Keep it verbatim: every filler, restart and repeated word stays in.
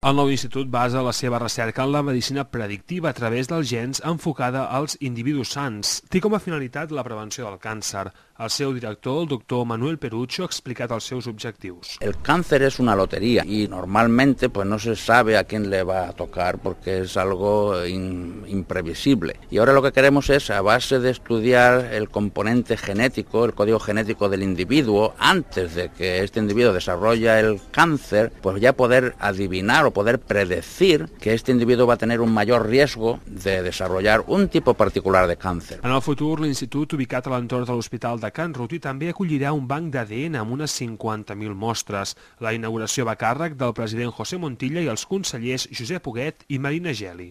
El nou institut basa la seva recerca en la medicina predictiva a través dels gens enfocada als individus sans. Té com a finalitat la prevenció del càncer. El seu director, el doctor Manuel Perucho, ha explicat els seus objectius. El cáncer es una lotería y normalmente pues no se sabe a quién le va a tocar porque es algo in, imprevisible. Y ahora lo que queremos es, a base de estudiar el componente genético, el código genético del individuo, antes de que este individuo desarrolle el cáncer, pues ya poder adivinar o poder predecir que este individuo va a tener un mayor riesgo de desarrollar un tipo particular de cáncer. En el futur, l'institut, ubicat a l'entorn de l'Hospital de Can Ruti, també acollirà un banc d'A D N amb unes cinquanta mil mostres. La inauguració va a càrrec del president José Montilla i els consellers Josep Huguet i Marina Geli.